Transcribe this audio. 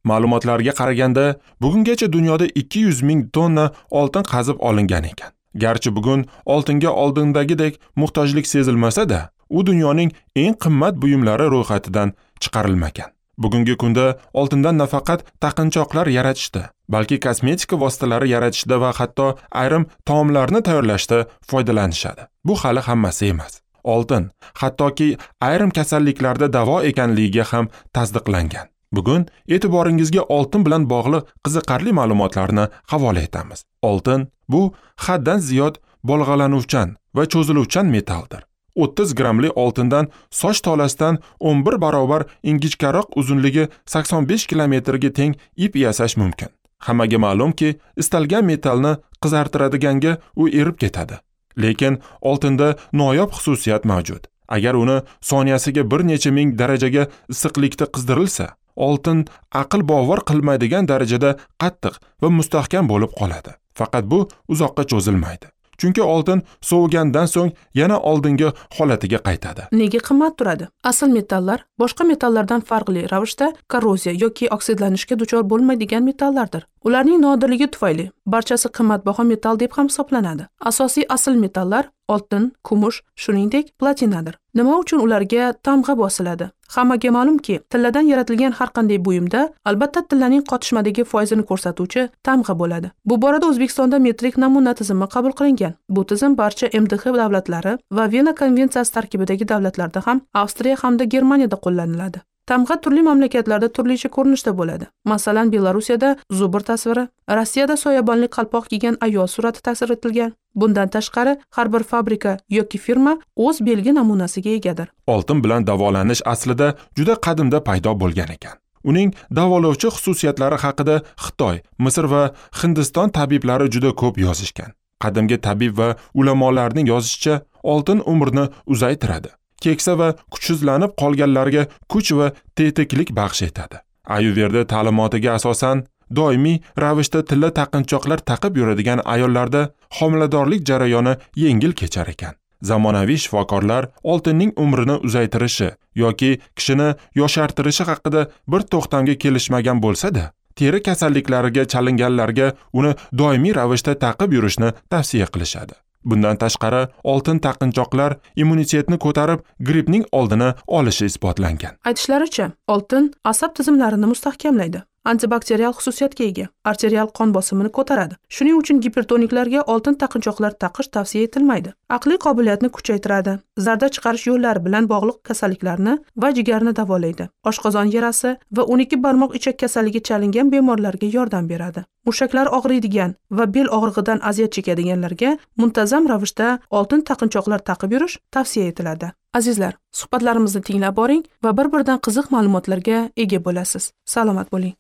Ma'lumotlarga qaraganda, bugungacha dunyoda 200 ming tonna oltin qazib olingan ekan. Garchi bugun oltinga oldindagidek muhtojlik sezilmasa-da, u dunyoning eng qimmat buyumlari ro'yxatidan chiqarilmagan. Bugungi kunda oltindan nafaqat taqinchoqlar yaratishda, balki kosmetika vositalari yaratishda va hatto ayrim taomlarni tayyorlashda foydalanishadi. Bu hali hammasi emas. Oltin hattoki ayrim kasalliklarda davo ekanligiga ham tasdiqlangan. Bugun e'tiboringizga oltin bilan bog'liq qiziqarli ma'lumotlarni havola etamiz. Oltin bu haddan ziyod bolg'alanuvchan va cho'ziluvchan metalldir. 30 grammli oltindan soch tolasidan 11 barobar ingichkaroq uzunligi 85 kilometrga teng ip yasash mumkin. Hammaga ma'lumki, istalgan metallni qizartiradiganga u erib ketadi. Lekin oltinda noyob xususiyat mavjud. Agar uni soniyasiga bir necha ming darajaga issiqlikda qizdirilsa, oltin aql bovar qilmaydigan darajada qattiq va mustahkam bo'lib qoladi. Faqat bu uzoqqa cho'zilmaydi. Chunki oltin sovigandan so'ng yana oldingi holatiga qaytadi. Nega qimmat turadi? Asl metallar boshqa metallardan farqli ravishda korroziya yoki oksidlanishga duchor bo'lmaydigan metallardir. Ularning nodirligi tufayli barchasi qimmatbaho metall deb ham hisoblanadi. Asosiy asl metallar oltin, kumush, shuningdek platinadir. Nima uchun ularga tamg'a bosiladi? Hammaga ma'lumki, tilladan yaratilgan har qanday buyumda albatta tillaning qotishmadagi foizini ko'rsatuvchi tamg'a bo'ladi. Bu borada O'zbekistonda metrik namuna tizimi qabul qilingan. Bu tizim barcha MDH davlatlari va Vena konvensiyasi tarkibidagi davlatlarda ham, Avstriya hamda Germaniyada qo'llaniladi. Tamg'a turli mamlakatlarda turlicha ko'rinishda bo'ladi. Masalan, Belarusiyada zubr tasviri, Rossiyada soyabonli qalpoq kiygan ayol surati tasvir etilgan. Bundan tashqari, har bir fabrika yoki firma o'z belgi namunasiga egadir. Oltin bilan davolanish aslida juda qadimda paydo bo'lgan ekan. Uning davolovchi xususiyatlari haqida Xitoy, Misr va Hindiston tabiblari juda ko'p yozishgan. Qadimgi tabib va ulamolarning yozishicha, oltin umrni uzaytiradi. Keksa va kuchsizlanib qolganlarga kuch va tetiklik baxsh etadi. Ayurveda ta'limotiga asosan doimiy ravishda tilla taqinchoqlar taqib yuradigan ayollarda homiladorlik jarayoni yengil kechar ekan. Zamonaviy shifokorlar oltinning umrini uzaytirishi yoki kishini yoshartirishi haqida bir to'xtamga kelishmagan bo'lsa-da, teri kasalliklariga chalinganlarga uni doimiy ravishda taqib yurishni tavsiya qilishadi. Bundan tashqari, oltin taqinchoqlar immunitetni ko'tarib, grippning oldini olishi isbotlangan. Aytishlaricha, oltin asab tizimlarini mustahkamlaydi. Antibakterial xususiyatga ega, arterial qon bosimini ko'taradi. Shuning uchun gipertoniklarga oltin taqinchoqlar taqish tavsiya etilmaydi. Aqliy qobiliyatni kuchaytiradi, zarda chiqarish yo'llari bilan bog'liq kasalliklarni va jigarni davolaydi. Oshqozon yarasi va 12 barmoq ichak kasalligi chalingan bemorlarga yordam beradi. Mushaklar og'riydigan va bel og'rig'idan aziyat chekadiganlarga muntazam ravishda oltin taqinchoqlar taqib yurish tavsiya etiladi. Azizlar, suhbatlarimizni tinglab boring va bir-biridan qiziq ma'lumotlarga ega bo'lasiz. Salomat bo'ling.